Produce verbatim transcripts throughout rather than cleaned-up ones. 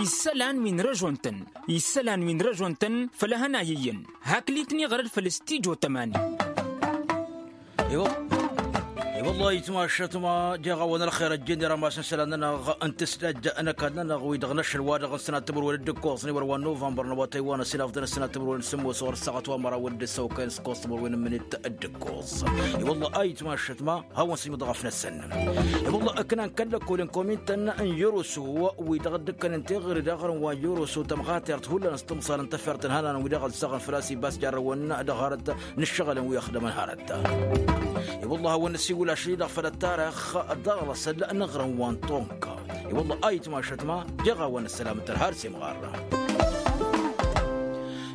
Isălan wi n-răžon-tăn isălan wi n-răžon-tăn făll-ehăn a iyyăn. Hakli-tăn iɣrăd făll-stijo tămani. I-wălla ayǝtmašăt ma jeɣ-awăn ălxer ăjjeen irămas n-isălan-nănăɣ n-tǝsdăjja n-ăkall-nănăɣ wi-dăɣ n-ašăl wa-dăɣ n-sănat timǝrwen d-ǝkkoẓ n-iwărwa n-nuvanbăr n-awătay wa n-asǝnafḍăn ăssinat timǝrwen s-sǝmmos ɣur-ăssaɣ ătwamăraw d-ǝssăwkăyăn s-ǝkkoẓ timǝrwen n-imǝnit d-ǝkkoẓ. I-wălla ayǝtmašăt ma hawăn-sǝjmǝḍ ɣăf-năsăn. I-wălla ǝknan kăl-lăkkolăn komin-tăn n-yăroso wi-dăɣ dd-ǝkkănen teɣăre d-aɣrǝm wa n-yăroso tămɣatert hullan s-tǝmẓal n-tafert n-ihănan wi-dăɣ ăzzăɣăn făl-a-s ibas jarrăwăn dăɣ-hărăt n-ǝššăɣǝlăn wi ăxdămăn hărăt. I-wălla a hawăn-năsiwǝl ašăl-i-dăɣ făll-ăttarăx ḍarăl asăl n-aɣrǝm wa n-tonka. I-wălla a itmašăt ma jeɣ-awăn ăssălam n-tărha ar s-imɣarra.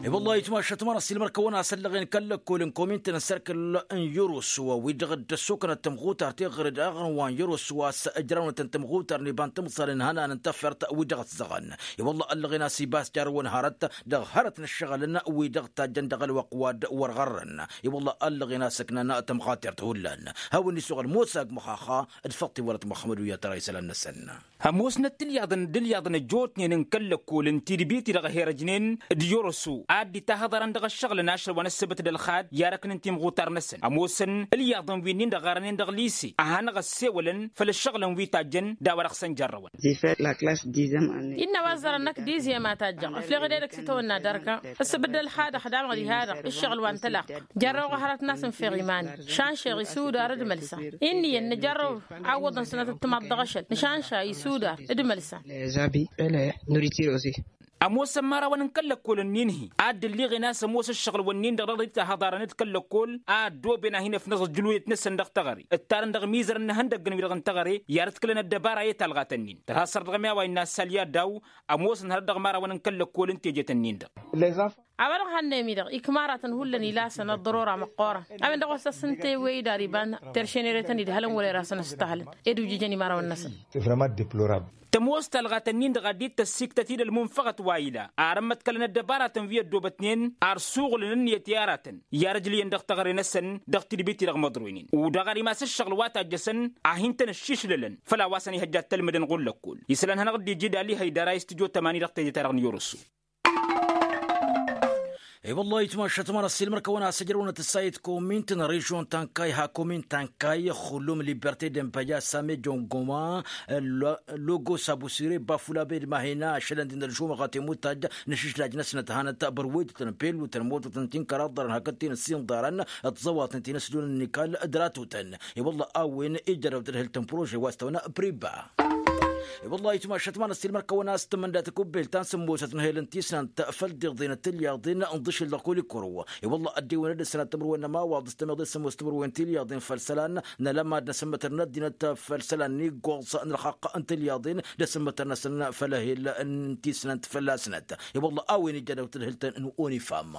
I-wălla a itmašăt ma n-ăssiilmăr-kăwăn a-s ăllăɣen kăl-lăkkolăn komin-tăn n-sărkǝl n-yăroso wi-dăɣ dd-ăssoknăt tămɣutart teɣăre d-aɣrǝm wa n-yăroso a-s ǝjrawnătăn tămɣutar n-iba n-timẓal n-ihănan n-tafert wi-dăɣ ăzzăɣăn. I-wălla ăllăɣen a-s ibas jarrăwăn hărăt dăɣ-hărăt n-ǝššăɣǝlăn wi-dăɣ tajjăn dăɣ-ălwăqq wa dd-wăr ɣărrăn. I-wălla ăllăɣen a-s ǝknan tămɣatert hullan. Hawăn-dd-isuɣǝl mosa g-măxaxa d-făṭṭ iwărăt muxămmăd wi-ad-tăra isălan-năsăn. Ămoosnăt tilyaḍăn d-ilyaḍăn ăjjootnen n-kăl-lăkkolăn tidbit-i-dăɣ herăjnen d-yoroso ad-dd-itahăḍărăn dăɣ-ăššăɣǝlăn ašăl wa n-ăssăbăt d-ălxad i-arăknen timɣutar-năsăn ămoosăn ilyaḍăn wi-nin-dăɣ ɣarănen dăɣ-lise a hanăɣ-ăssewălăn făll-ăššăɣǝlăn wi tajjăn d-a-wa dăɣ-săn jarrăwăn. Innă a-wa ăẓẓărăn năkk dizyem a tajjăɣ ǝfleɣ-dd edăgg s-itawănna dărka ǝssǝbǝd d-ălxad ăxdamăɣ diha-dăɣ ǝššăɣǝl wa n-tălaqq. Jarrăwăɣ hărăt n-asǝnfeɣ iman-i. Šanšeɣ isudar d-mălsa inn'-iyyăn nǝjarrăw. Awwăḍăn sănăt ǝttǝmaḍ dăɣ-ašăl nǝšanša isudar d-mălsa. Ămoosăn imărawăn n-kăl-lăkkolăn-nin-hi ad-dd-ǝlliɣen a-s ămoos ǝššăɣǝl-wǝnnin-dăɣ dăɣ-dd-tahăḍarăn d-kăl-lăkkol a ăddooben ad-hin-ăfnăẓ ǝjjǝluyăt-năsăn dăɣ-teɣăre ǝttarăn dăɣ-imizărăn n-ihăndăggăn-wi-dăɣ n-teɣăre i-ad-ǝtkǝlăn ăddăbara i-talɣat-nin. Tărha săr dăɣ-ămiyawa innă a-s ălyadaw ămoosăn hărăt dăɣ-imărawăn n-kăl-lăkkol n-tejet-nin-dăɣ. A-wa-dăɣ hannăyăm-i-dăɣ ikmaratăn hullan ilasăn ăḍḍărora măqqoorăn a-wen-dăɣ wa s-ăssintewăy idar iba n-teršenere-tăn idhălăn wăla irasăn ăstăhlăn ed ujǝjăn imărawăn-năsăn. Tămoos talɣat-ǝnnin-dăɣ a dd-tăssiktăt-dd ălmunfăɣăt wa ila ar ămmăḍkălăn ăddăbaratăn wi ăddoobătnen ar suɣǝlăn ǝnniyăt i-aratăn i-ad-ăjlǝyăn dăɣ-teɣăre-năsăn dăɣ-tidbit-i-dăɣ măḍroynen. Udăɣ ar imas ǝššăɣǝl wa tajjăsăn a hin-tăn-ăššišlălăn făll-a-wa săn ihăjja d-tălmǝdăn ɣur-lăkkol. Isălan-hanăɣ-dd-iji d-ali hăydara i-stujo tămani dăɣ-teje-ta-dăɣ n-yoroso. I-wăllah itmašăt ma n-ăssiilmăr-kăwăn-as ǝjrăwnăt ǝssayǝt komin-tăn režion tankay ha komin tankay xulum liberte d-embăya same jongoma logos abusire bafula bed mahina ašălăn d-inălžumăɣ a temutaj n-ašǝšlaj-năsnăt hanăt bărwedutăn pelutăn mototăn tinkăraḍărăn hakd tinăssinḍarăn d-tiẓăwatăn tinăsdun n-ikal d-ratutăn. I-wăllah a-wen ijrăw tadhǝlt n-prože wa s-tăwna priba. I-wăllah itmašăt ma n-ăssiilmăr-kăwăn-as tǝmmǝnda takubbelt ta n-sǝmmosăt n-ehel n-tisnant făll-diḍen d-tilyaḍen n-iḍǝšǝl dăɣ-kulikuru. I-wăllah ăddewăn ad-ăssanat timǝrwen n-ămawaḍ s-tămeḍe s-sǝmmos timǝrwen tilyaḍen făll-isălan n-alămad n-asǝmmătăr n-ăddinăt făll-isălan n-iggoẓ n-ălxaqq n-tilyaḍen d-asǝmmătăr-năsăn făll-ehel n-tisnant fălla-snăt. I-wăllah a-wen ijjadăw tadhǝlt n-unifam.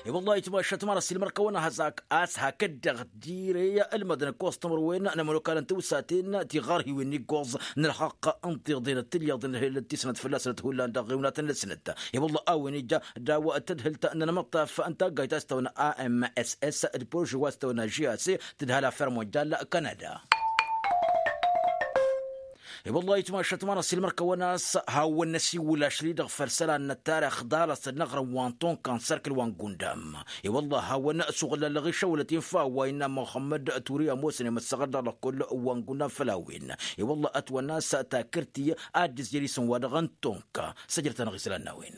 I-wăllah itmašăt ma n-ăssiilmăr-kăwăn-as hak-dd-dăɣ tirey ălmădăn ǝkkoẓ timǝrwen n-ămănokal n-tiwsaten tiɣărhiwen n-iggoẓ n-ălxaqq n-tiḍen d-tilyaḍen ălhilăt tisnăt fălla-snăt hullan dăɣ-iwnatăn-năsnăt. I-wăllah a-wen ija daw-tadhǝlt n-ănmăṭṭaf n-taggayt a-s tăwna a m s s d-prože wa s-tăwna j a c tǝdhal affer monjal kanada. I-wăllah itmašăt ma n-ăssiilmăr-kăwăn-as hawăn-năsiwǝl ašăl-i-dăɣ făll-isălan n-ăttarix ḍarăs-dd n-aɣrǝm wa n-tonka n-sărkǝl wa n-gundam. I-wăllah hawăn-suɣǝl ălɣišăwlăt infa wa innă muxămmăd turi ămoosăn imǝssăɣăt dăɣ-lăkkol wa n-gundam făll-a-wen. I-wăllah ătwănna a-s takǝrt-i ad-dd-ǝzjăr isǝm wa dăɣ-n tonka. Săjrăt-anăɣ isălan n-a-wen.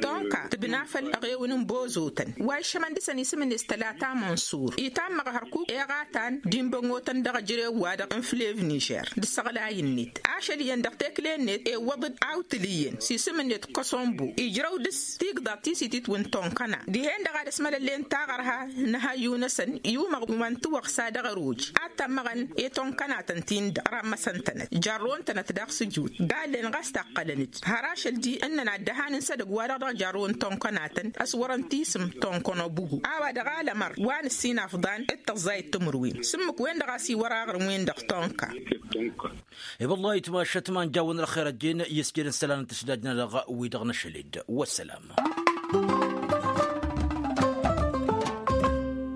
Tonka tǝbna făll-eɣewǝn n-bozotăn wa iššămăn dăɣ-săn isǝm-net tălata mănsur itammăɣ hărkuk eɣatan d-inbănotăn dăɣ-ejărew-wa-dăɣ n-flev nižer d-ǝssăɣlay-net ašăl iyyăn dăɣ-tekle-net ewwăḍ-dd awtǝl iyyăn s-isǝm-net kăsombo ijrăw dăɣ-s tigḍaḍ ti s-ititwǝn tonkăna dihen-dăɣ ad-ăsmălăllen taɣărha n-ehăyyu-năsăn i-umăɣ wa n-tiwăɣsa dăɣ-ăroj ad-tămmăɣăn i-tonkănatăn-tin-dăɣ rămmăsăn-tănăt jărrăwăn-tănăt daɣ s-ǝjut gallen ɣas taqqălăn-dd har ašăl-di ǝnnăn ad-dd-ăhanǝn s-edăgg-wa-dăɣ dăɣ-jărrăwăn tonkănatăn ăswărăn tisǝm tonkono bugu a-wa dăɣ-alămăr wa n-ǝssinafḍan d-tăẓẓayăt timǝrwen s-ǝmmǝk-wen-dăɣ a-s iwăr aɣrǝm-wen-dăɣ tonka. I-wăllah itmašăt ma n-jawăn ălxer ăjjeen i-ǝsjed n-isălan n-tǝšdajnăt dăɣ-wi-dăɣ n-ašăl-dd. Wăssălam.